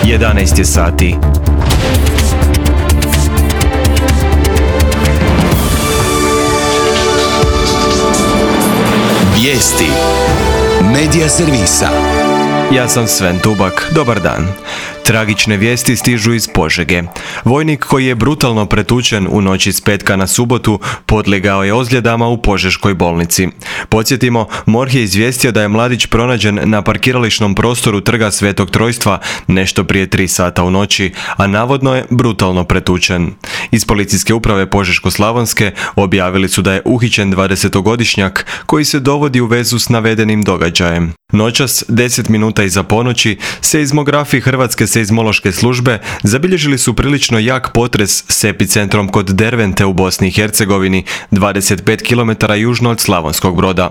11 je sati. Vijesti Medija servisa. Ja sam Sven Tubak, dobar dan. Tragične vijesti stižu iz Požege. Vojnik koji je brutalno pretučen u noći s petka na subotu podlegao je ozljedama u Požeškoj bolnici. Podsjetimo, MORH je izvijestio da je mladić pronađen na parkirališnom prostoru Trga Svetog Trojstva nešto prije 3 sata u noći, a navodno je brutalno pretučen. Iz policijske uprave Požeško-slavonske objavili su da je uhićen 20-godišnjak koji se dovodi u vezu s navedenim događajem. Noćas, 10 minuta iza ponoći, seizmografi Hrvatske seizmološke službe zabilježili su prilično jak potres s epicentrom kod Dervente u Bosni i Hercegovini, 25 km južno od Slavonskog Broda.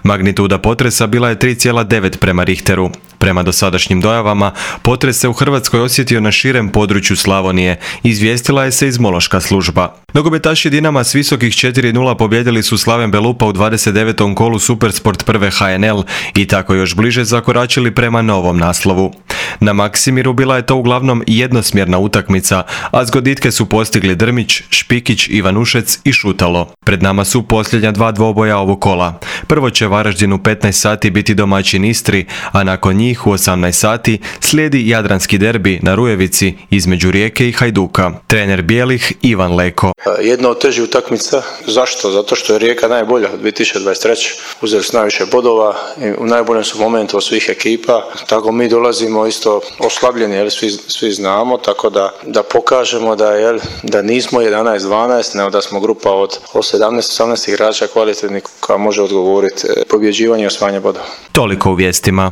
Magnituda potresa bila je 3,9 prema Richteru. Prema dosadašnjim dojavama, potres se u Hrvatskoj osjetio na širem području Slavonije, izvijestila je seizmološka služba. Nogometaši Dinama s visokih 4:0 pobjedili su Slaven Belupa u 29. kolu Supersport prve HNL i tako još bliže zakoračili prema novom naslovu. Na Maksimiru bila je to uglavnom jednosmjerna utakmica, a zgoditke su postigli Drmić, Špikić, Ivanušec i Šutalo. Pred nama su posljednja 2 dvoboja ovog kola. Prvo će Varaždin u 15 sati biti domaćin Istri, a nakon njih u 18 sati slijedi jadranski derbi na Rujevici između Rijeke i Hajduka. Trener bijelih Ivan Leko. Jedna od težih utakmica. Zašto? Zato što je Rijeka najbolja u 2023. Uzeli su najviše bodova i u najboljem su momentu od svih ekipa. Tako mi dolazimo isto oslabljeni, svi znamo, tako da pokažemo da nismo 11-12, nego da smo grupa od 17-18 igrača kvalitetnih koja može odgovoriti pobjeđivanje i osvajanje bodova. Toliko u vijestima.